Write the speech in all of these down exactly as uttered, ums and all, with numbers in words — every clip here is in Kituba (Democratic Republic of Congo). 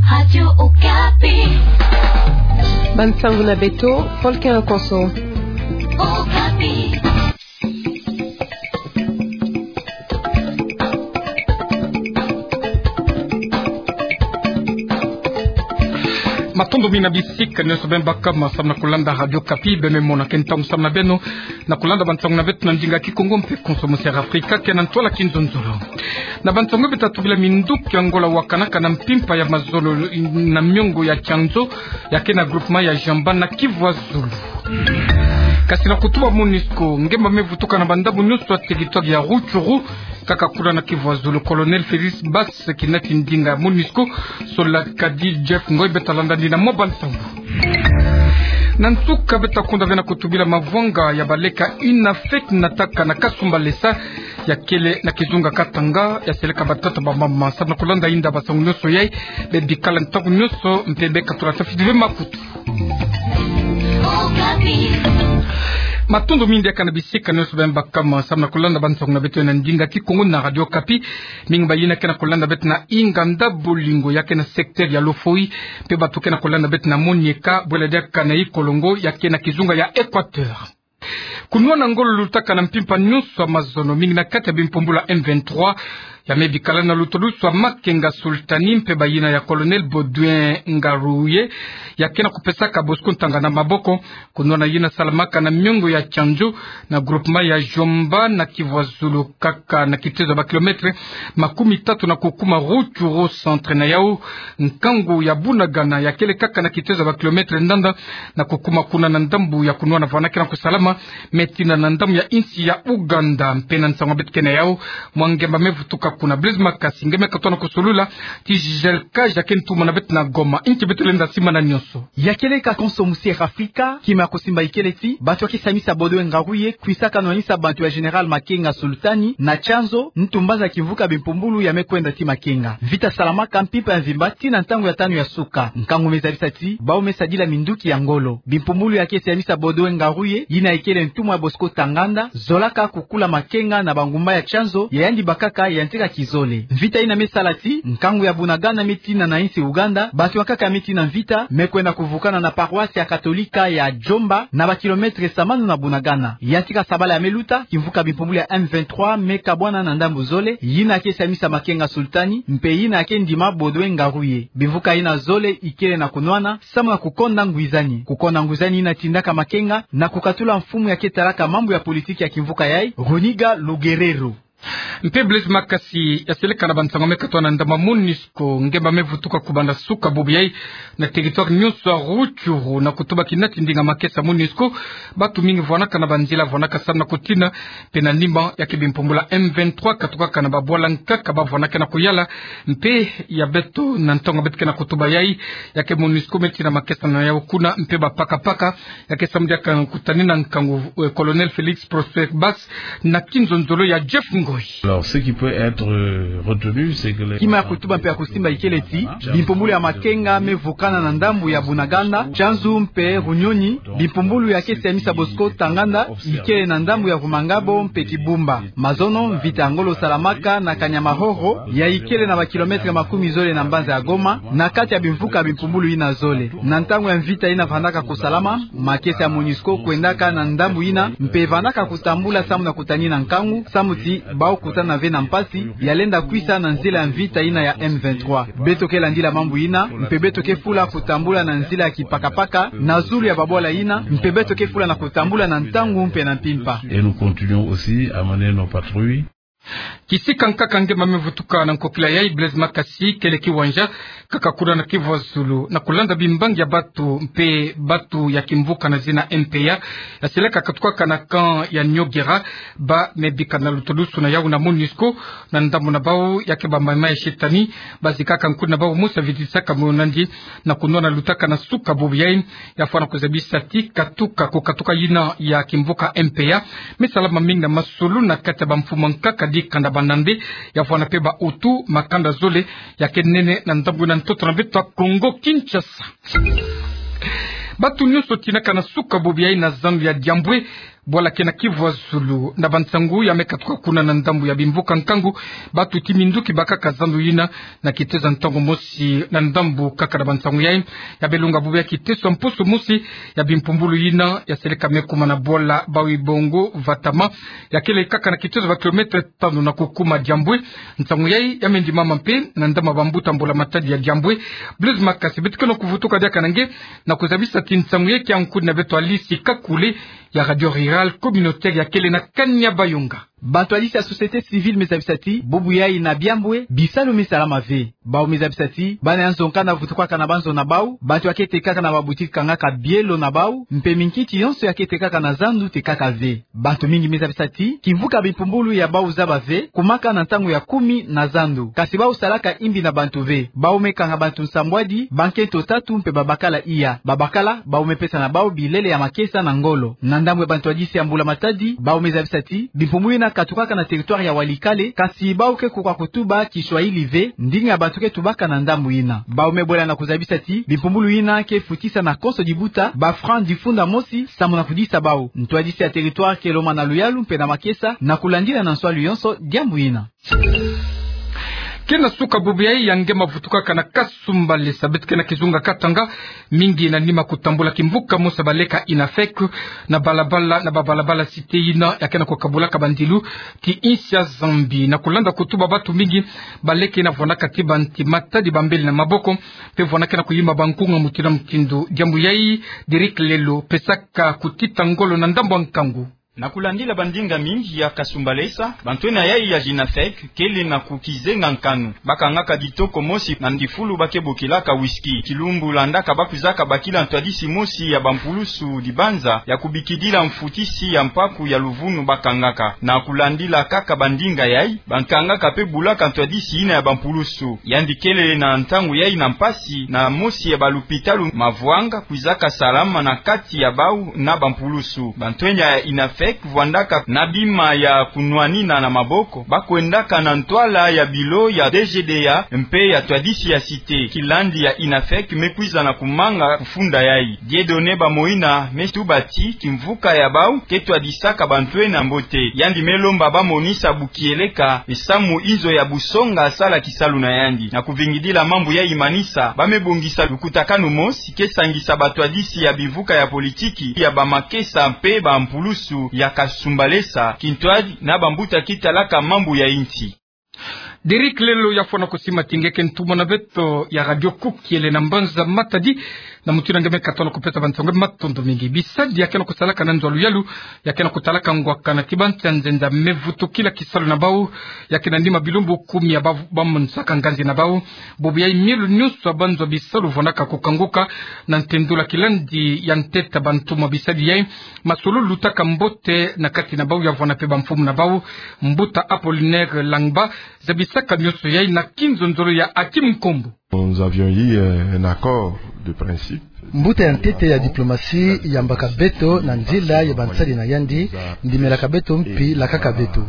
Radio Okapi. Bansango na beto, Paul Kenkonso. Okapi. Matondo mingi na bisika nyonso beno baka samu na kulanda Radio Okapi, beno mona ke ntangu samu na beno na kulanda bansango na beto na ndinga Kikongo mpe konso mu Sud Afrika, ke na ntwala Kinzonzolo. Na bansango beto tatubila: minduki ya Angola wakanaka na mpimpa ya mazono na miongo ya Tchanzu, ya ke na groupement ya Jomba na Kivu ya Zulu. Kasi na kutuba MONUSCO, ngemba me vutuka na bandambu nyonso ya territoire ya Rutshuru, kaka kuna na Kivu ya Zulu. Colonel Félix Basse, kinati ndinga ya MONUSCO, sola kadi Jeff Ngoy, beto talanda yandi na mwa bansango. Na nsuka beto takonda ve na kutubila mavwanga ya baleka ina fête nataka na Kasumbalesa, ya kele na kizunga Katanga, ya seleka batata bamama. Samu na kulanda inda bansango nyonso yai, beno bikala ntangu nyonso, mpe beno katula tafiti ve makutu. Matondo mingi diaka na bisika nyonso beno baka samu na kulanda bansango na beto na ndinga Kikongo na Radio Okapi. Mingi bayina ke na kulanda beto na Inganda Bolingo, ya ke na secteur ya Lofoï, mpe bato ke na kulanda beto na Monieka, bwela diaka na Ikolongo, ya ke na kizunga ya Équateur. Kunwana ngolo lutaka na mpimpa nyonso ya mazono, mingi na kati ya bimpumbulu ya M vingt-trois, ya me bikala na lutulusu ya Makenga Sultani mpe bayina ya Colonel Baudouin Ngaruye, ya ke na kupesaka Bosco Ntaganda maboko. Kunwana yina salamaka na miongo ya Tchanzu, na groupement ya Jomba na Kivu ya Zulu, kaka na kitezo ya ba kilomètre makumi tatu na kukuma Rutshuru centre. Na yau, nkangu ya Bunagana, ya kele kaka na kitezo ya ba kilomètre ndanda na kukuma kuna na ndambu ya kunwana vana ke na kusalama, me tina na ndambu ya insi ya Ouganda. Mpe na nsangu beto ke na yau, mwa ngemba me vutuka kuna. Blaise Makasi, nge me katoa na kusolula, ti Gisèle Kaja ke ntuma na beto na Goma. Inki beto lenda simba na nyonso? Ya kele kaka konso mu Sierra Afrika, kima ya kusimba ikele ti bato ya ke siamisa Baudouin Ngaruye kwisaka nwanisa bantu ya Général Makenga Sultani na Tchanzu, ntu mbanza kimvuka bimpumbulu ya me kwenda ti Makenga. Mvita salamaka mpimpa ya mvimba tii na ntangu ya tanu ya suka. Nkangu me zabisa ti bau me sadila minduki ya ngolo. Bimpumbulu ya ke siamisa Baudouin Ngaruye, yina ikele ntumwa ya Bosco Ntaganda, zolaka kukula Makenga na bangumba ya Tchanzu ya yandi bakaka yantika kizole. Mvita yina me sala ti nkangu ya Bunagana me tina na insi Ouganda, bato ya nkaka me tii na mvita me kwenda kuvukana na paroisse ya Katolika ya Jomba, na ba kilomètre samanu na Bunagana. Yantika sabala ya me luta, kimvuka bimpumbulu ya M vingt-trois me kabwana na ndambu zole, yina ke siamisa Makenga Sultani mpe yina ke ndima Baudouin Ngaruye. Bimvuka yina zole ikele na kunwana samu na kukonda ngwizani. Kukonda ngwizani yina tindaka Makenga na kukatula mfumu ya ke talaka mambu ya politiki ya kimvuka yai, Runiga Lugereru. Mpe Blaise Makasi, ya seleka na bansangu me katoa na ndambu ya MONUSCO, ngemba me vutuka kubanda suka bubu yai na territoire nyonso ya Rutshuru, na kutuba kinati ndinga makesa MONUSCO, bato mingi vwanaka na banzila, vwanaka samu na kutina, mpe na nima ya ke bimpumbulu ya M vingt-trois katukaka na babwala nkaka ba vwanaka na kuyala. Mpe ya beto, na ntangu beto ke na kutuba yai, ya ke MONUSCO me tina makesa na yau kuna, mpe bapakapaka, ya ke samu diaka kutanina nkangu, eh, Colonel Félix Prosper Basse, na kinzonzolo ya Jeff Ngoy. Alors, ce qui peut être, euh, retenu, c'est que les... Kima ya kutuba mpe ya kusimba ikele ti bimpumbulu ya Makenga me vukana na ndambu ya Bunagana, Tchanzu mpe Runyonyi, bimpumbulu ya ke siamisa Bosco Ntaganda ikele na ndambu ya Rumangabo mpe Kibumba. Mazono, mvita ya ngolo salamaka na Kanyamahoro, ya ikele na ba kilomètre makumi zole na mbanza ya Goma, na kati ya bimvuka bimpumbulu yina zole. Na ntangu ya mvita yina vandaka kusalama, makesa ya MONUSCO kwendaka na ndambu yina, mpe vandaka kutambula samu na kutanina nkangu, samu ti bau kutana ve na mpasi ya lenda kwisa na nzila ya mvita yina ya M vingt-trois. Beto ke landila mambu yina, mpe beto ke fula kutambula na nzila ya kipakapaka na zulu ya babwala yina, mpe beto ke fula na kutambula na ntangu mpe na mpimpa. Et nous continuons aussi à mener nos patrouilles. Kisika nkaka ngemba me vutuka na nkokila yai, Blaise Makasi, kele kiwanja kaka kuna na Kivu ya Zulu, na kulanda bimbangi ya bato mpe bato ya kimvuka na zina M P A, ya seleka katukaka na camp ya Nyogera, ba me bika na lutulusu na yau na MONUSCO, na ndambu na bau ya ke bamama ya shetani, bazikaka nkuni na bau mosi ya vitisaka moyo nandi, na kunwana lutaka na suka bubu yai, ya fwana kuzabisa ti katuka, kukatuka yina ya kimvuka M P A me salama mingi na masolo na kati ya bamfumu ya nkaka dikanda banande, ya fwana mpe ba Hutu, makanda zole ya ke nene na ndambu na ntoto na beto ya Congo Kinshasa. Bato nyonso tinaka na suka bubu yai na zandu ya Diambwe, Bwala ke na kivwazulu na bansangu ya me katuka kuna na ndambu ya bimvuka nkangu, bantu ti minduki bakaka zandu yina na kitezo ntangu mosi na ndambu kaka na bansangu yayi. Ya belunga bubu ya kiteso mpusu mosi ya bimpumbulu yina ya seleka me kuma na bwala Bawi Bongo Vatama, ya kele kaka na kitezo ba kilomètre tanu na kukuma Diambwe. Nsangu yayi ya me ndimama mpe na ndama bambuta mbula matadi ya Diambwe. Blaise Makasi beto ke na kuvutuka diaka na nge na kuzabisa ti nsangu yayi ke ya nkudi na beto Alice Kakule ya Radio Rurale Communautaire ya kele na Kanya Bayonga. Bantu ya lisi ya société civile me zabisa ti bubu yayi na Diambwe bisalu me salama ve. Bawu me zabisa ti bana ya nzo nkanda vutukaka na banzo na bawu, bantu ya ke tekaka na baboutique kangaka bielo na bawu, mpe minkiti yonso ya ke tekaka na zandu tekaka ve. Bantu mingi me zabisa ti kimvuka bimpumbulu ya bawu zaba ve, kumaka na ntangu ya kumi na zandu. Kasi bawu salaka imbi na bantu ve. Bawu me kanga bantu nsambwadi, bankento tatu mpe babakala iya. Babakala, bawu me pesa na bawu bilele ya makesa na ngolo. Na ndambu ya bantu ya lisi ya mbula matadi, bawu me zabisa ti bimpumbulu yina katukaka na territoire ya Walikale, kasi bawu ke kuka kutuba Kiswahili ve, ndinga ya bantu ke tubaka na ndambu yina. Bawu me bwela na kuzabisa ti bimpumbulu yina ke futisa na konso dibuta ba francs difunda mosi, samu na kudisa bawu. Ntwadisi ya territoire ke lomba na luyalu mpe na makesa na kulandila na nswalu yonso diambu yina. Ke na suka bubu yayi ya nge mavutukaka na Kasumbalesa, beto ke na kizunga Katanga, mingi na nima kutambula kimvuka mosi ya baleka INAFEC na balabala, na babalabala cité yina ya ke na kukabulaka bandilu ti insi ya Zambie. Na kulanda kutuba bantu mingi, baleka yina vwandaka ti banti matadi bambele na maboko, mpe vwandaka na kuyima bankunga mutindu na mutindu. Diambu yayi, Derrick Lelo pesaka kutita ngolo na ndambu ya nkangu. Na kulandila bandinga mingi ya Kasumbalesa, bantwenia yayi ya INAFEC kele na kukizenga nkanu. Bakangaka ditoko mosi na ndifulu ba ke bokilaka whisky. Kilumbu landaka ba kwizaka bakila ntwadisi mosi ya bampulusu dibanza ya kubikidila mfutisi ya mpaku ya luvunu bakangaka. Na kulandila kaka bandinga yayi, bakangaka mpe bulaka ntwadisi yina ya bampulusu. Yandi kele na ntangu yayi na mpasi na mosi ya balupitalu mavwanga kwizaka salama na kati ya bawu na bampulusu. Bantwenia ya INAFEC vwandaka na bima ya kunwanina na maboko, ba kwendaka na ntwala ya bilo ya DGDA mpe ya ntwadisi ya cité. Kilandi ya INAFEC me kwiza na kumanga kufunda yayi. Dieudonné Bamoina me tuba ti kimvuka ya bawu ke twadisaka bantwenia mbote. Yandi me lomba ba monisa bukieleka misamu inzo ya busonga sala kisalu na yandi. Na kuvingidila mambu yayi manisa, ba me bongisa lukutakanu mosi ke sangisa bantwadisi ya bimvuka ya politiki, ya bamakesa mpe bampulusu ya Kasumbalesa, kintwadi na bambuta ke talaka mambu ya insi. Derrick Lelo ya fwana kusima ti nge ke ntumwa na beto ya Radio Cook, kiele na mbanza Matadi, na mutindu nge me katona kupesa bansangu, matondo mingi. Bisadi ya ke na kusalaka na nzo ya luyalu ya ke na kutalaka ngwakana ti bansi ya nzenza me vutukila kisalu na bawu, ya ke na nima bilumbu kumi ya ba, ba monisaka nganzi na bawu. Bubu yayi milu nyonso ya banzo ya bisalu vwandaka kukanguka na ntendula. Kilandi ya ntete ya bantumwa bisadi yayi, masolo lutaka mbote na kati na bawu ya vwanda mpe bamfumu na bawu. Mbuta Apollinaire Langba zabisaka nyonso yayi na kinzonzolo ya Hakim Nkombo. Nous avions eu, euh, un accord de principe. Mbuta ya ntete ya diplomatie yambaka beto na nzila ya bansadi na yandi, ndimelaka beto mpi lakaka beto.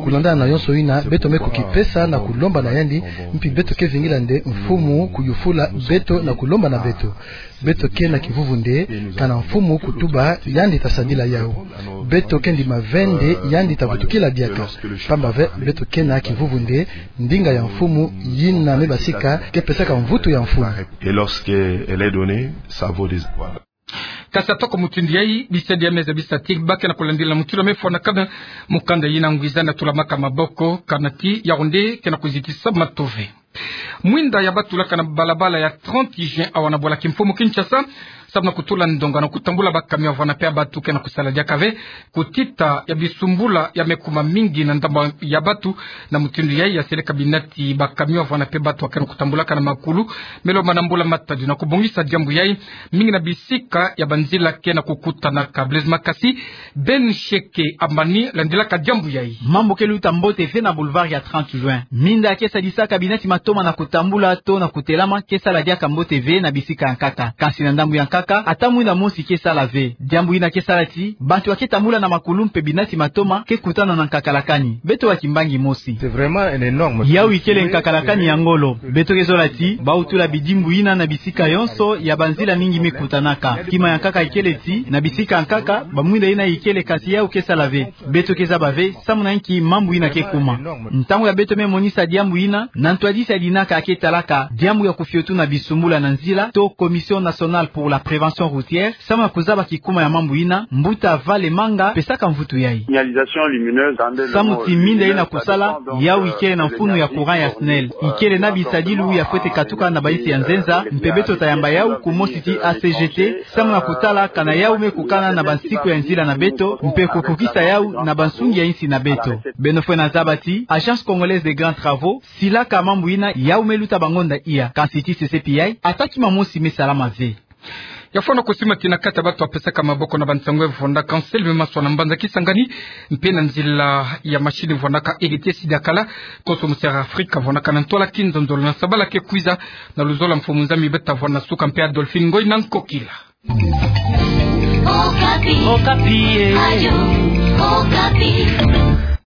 Kulandana na yonso yina, beto me kukipesa na kulomba na yandi, mpi beto ke vingila nde mfumu kuyufula beto na kulomba na beto. Beto ke na kivuvu nde, kana mfumu kutuba, yandi ta sadila yawu. Beto ke ndima ve nde yandi ta vutukila diaka. Pamba ve, beto ke na kivuvu nde ndinga ya mfumu yina me basika ke pesaka mvutu ya mfumu. Et lorsqu'elle est donnée, ça vaut des étoiles. Kasi atako mutindu yayi, bisadi ya me zabisa ti ba ke na kulandila mutindu ya me fwanakana mukanda yina ngwiza na tulamaka maboko, kana ti Yaoundé ke na kuzitisa matu ve. Mwinda ya ba tulaka na balabala ya trente juin awa na bwala kimfumu Kinshasa, samu na kutula ndonga na kutambula ba camion ya vwanda mpe ya bantu ke na kusala diaka ve, kutita ya bisumbula ya me kuma mingi na ndambu ya bantu. Na mutindu yayi ya seleka bina ti ba camion ya vwanda mpe bantu ya ke na kutambulaka na makulu me lomba na mbula matadi na kubongisa diambu yayi, mingi na bisika ya banzila ke na kukutanaka. Blaise Makasi, Ben Sheke Amani landilaka diambu yayi. Mambu ke luta mbote ve na boulevard ya trente juin. Minda ke sadisaka bina ti matu toma na kutambula to na kutelama ke sala diaka mbote ve na bisika ya nkaka. Kansi na ndambu ya nkaka, ata mwinda mosi ke sala ve. Diambu ina ke sala ti bantu ake tambula na makulu mpe binati matoma ke kutana na nkakalakani. Beto wa kimbangi mosi. Yau ikele nkakalakani ya ngolo. Beto ke zola ti bau tula bidimbu ina na bisika yonso ya banzila mingi me kutanaka. Kima ya nkaka ikele ti na bisika ya nkaka, bamwinda ina ikele, kansi yau ke sala ve. Beto ke zaba ve samu na inki mambu ina ke kuma. Ntangu ya beto me monisa diambu ina, na ntwadisi ya dinaka ake talaka diambu ya kufiotu na bisumbula na nzila to Commission Nationale pour la Prévention Routière, samu na kuzaba kikuma ya mambu ina, mbuta Vale Manga pesaka mvutu yai. Samu ti minda ina kusala, yau ikele na mfunu ya courant ya SNEL. Ikele na bisadilu ya fwete katuka na bainsi ya nzenza, mpe beto tayamba yau kumosi ti A C G T, samu na kutala kana yau me kukana na bansiku ya nzila na beto, mpe kukukisa yau na bansungi ya insi na beto. Beno fwena zaba ti Agence Congolaise des Grands Travaux silaka mambu ina, yau me luta bangonda iya, kansi ti sese pi yai, ata kima mosi me salama ve. Ya fwana kusima ti na kati ya bato bapesaka maboko na bansangu ya vwanda Anselme Maswa na mbanza Kisangani, mpe na nzila ya machine vwandaka Héritier Sidakala, konso musi ya Afrika vwandaka na ntwala kinzonzolo na sabala ke kwiza, na luzolo mfumu nzambi beta vwanda suka mpe Adolphine Ngoy na nkokila. Okapi. Okapi, eh. Radio Okapi.